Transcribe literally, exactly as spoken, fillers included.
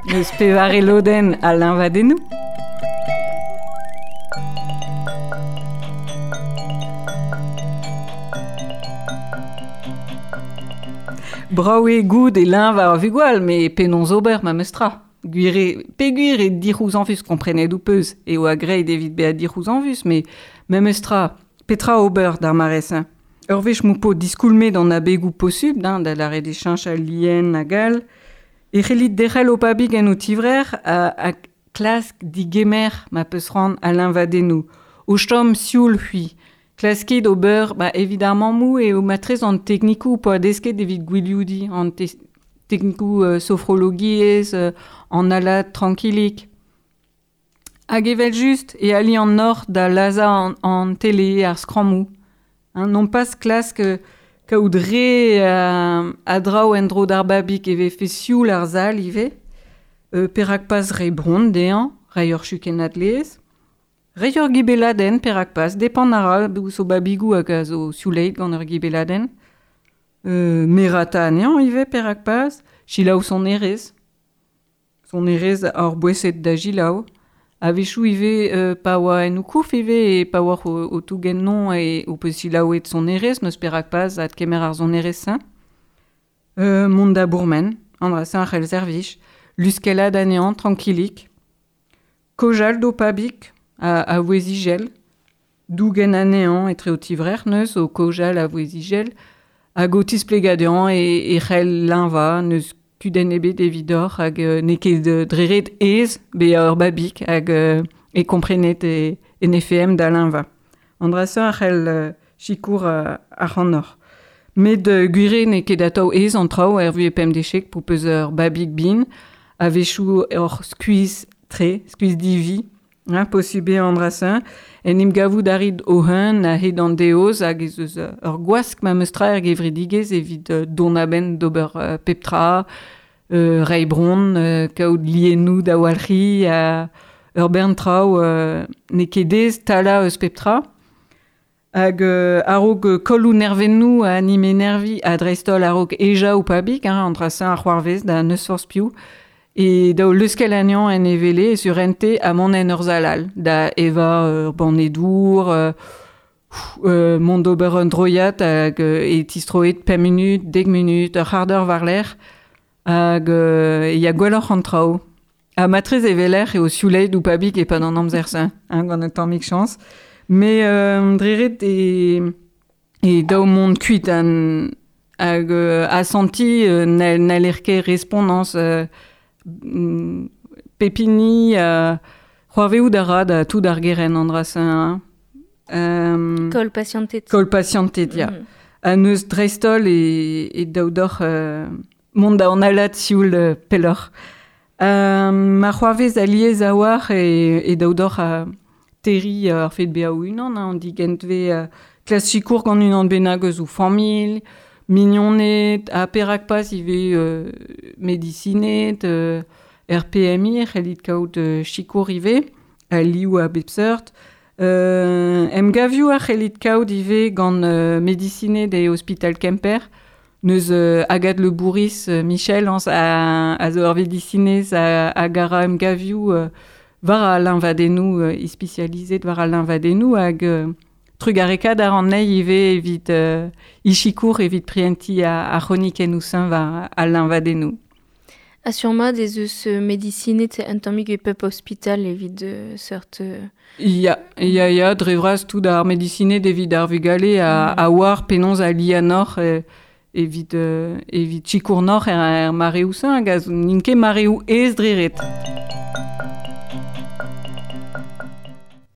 Neus pevare lodenn a liñvadennoù. Brav eo goût e liñv ar vugale, met penaos ober ma meus tra. Gwir eo, peogwir eo dic'houzañvus komprenet ho peus, eo a graet evit bezañ dic'houzañvus, met memes tra, petra ober d'ar mare-se. Ur wech m'ho po diskoulmet an abegoù posubl, hein, da lâret eo cheñch al lien hag all, e c'hellit derc'hel ho pabig en ho tivrec'h ha, ha klask digemer ma peus c'hoant al liñvadennoù. O chom sioul c'hwi. Klaskit ober, ba, evit ar mammoù eo matrez an teknikoù poa desket evit gwilioudiñ, an te- teknikoù euh, sofrologiezh, euh, an alad trankilik. Hag evel just e ali an nor da lazhañ an, an tele, ar skrammoù. Hein, non pas klask euh, kaout re euh, a draoù en-dro d'ar babig e vefe sioul ar sal ivez. Euh, perak pas re bron dezhañ, reiñ ur chukennad laezh. Reiñ ur gibeladenn, perak pas, depend a ra ouzh o babigoù hag a zo siouleit gant ur gibeladenn. Euh, merata anezhañ ivez, perak pas, selaou sonerezh. Sonerezh ar boeset da selaou. A-wechoù ivez euh, pa oa en ho kouf ivez e pa oa o, o tougen non e o peus selaouet sonerezh, n'eus perak pas adkemer ar sonerezh-se. Euh, mont da bourmen, an dra-se ar c'hell servij, luskellat anezhañ trankilik. Kaozeal d'ho pabig a, a vouezh-ijel, dougen anezhañ etre ho tivrec'h neus o kaozeal a vouezh-ijel, hag o tisplegañ dezhañ e, e c'hell liñvañ, n'eus kudenn ebet evidoc'h hag euh, n'eo ket euh, dre ret aes bezañ ur babig hag euh, e komprenet e, en F M da liñvañ. An dra-se a c'hell euh, sikour euh, ac'hanoc'h. Met euh, gwir eo n'eo ket atav aes an traoù er vuhez pemdechek po peus ur babig bihan, a-wechoù ur skuizh tre, skuizh divi, hein, posubl eo an dra-se. En em gavout a rit o-hun a-hed an deoz hag ez eus ur gwask ma meus tra er gevredigezh evit euh, dont a-benn d'ober euh, pep tra, euh, reiñ bron, euh, kaout liennoù da walc'hiñ, euh, ur bern traoù euh, n'eo ket aes talañ eus pep tra. Hag euh, a-raok euh, kolloù nervennoù ha anime nervi ha dreist-holl a-raok ejañ ho pabig, hein, an dra-se ar c'hoarvez da n'eus forzh piv. E daou leuskel anezhañ en e wele e surente ha mont en ur sal all, da evañ ur banne dour, euh, euh, mont d'ober un droiad hag euh, e tistroet pemp minut, dek minut, ur c'hard eur war-lerc'h, hag euh, e ya gwelloc'h an traoù. Ha matrez e weler eo siouleit ou pabig e-pad an amzer-se, hein, gant un tammig chañs. Mais euh, dre ret e, e daou mont kuit an, hag euh, asanti euh, n'hall n'haller ket respondañs euh, mm, pepini euh, c'hoarvezout a ra da tout ar gerent an dra-se, hein. Euh, Koll patientet. Koll patientet, ya. Mm. Ha neus dreist-holl e, e daou doc'h euh, mont da an alad sioul euh, pelloc'h. Euh, ma c'hoarvez alies a-walc'h e, e daou doc'h a terri ar fet bezañ o-unan, hein, an digentve euh, klas sikour gant unan bennak eus o familh, mignoned, ha perak pas ivez euh, medisined, euh, R P M I, c'hellit kaout euh, sikour ivez, a liv a bep seurt. Euh, emgavioù a c'hellit kaout ivez gant euh, medisined e ospital Kemper. Neus euh, Agathe Le Bourris, euh, Michel, ans, a, a zo ur vedisinez a, a gara emgavioù euh, war a liñvadennoù, euh, ispisializet war a liñvadennoù hag euh, trugarekaat ar an nei ivez evit euh, ichikour evit prientiñ a, a c'hronikennoù señ war a liñvadennoù. Ha sur-mat ez eus euh, medisined un tammig e pep ospital evit euh, seurt... Euh... Ya, ya, ya, dre vras tout ar medisined evit ar vugale a, Mm. a oar penaos a lianoc'h euh, evit, euh, evit sikour noc'h er, er mareoù señ hag a zo n'int ket mareoù aes dre ret.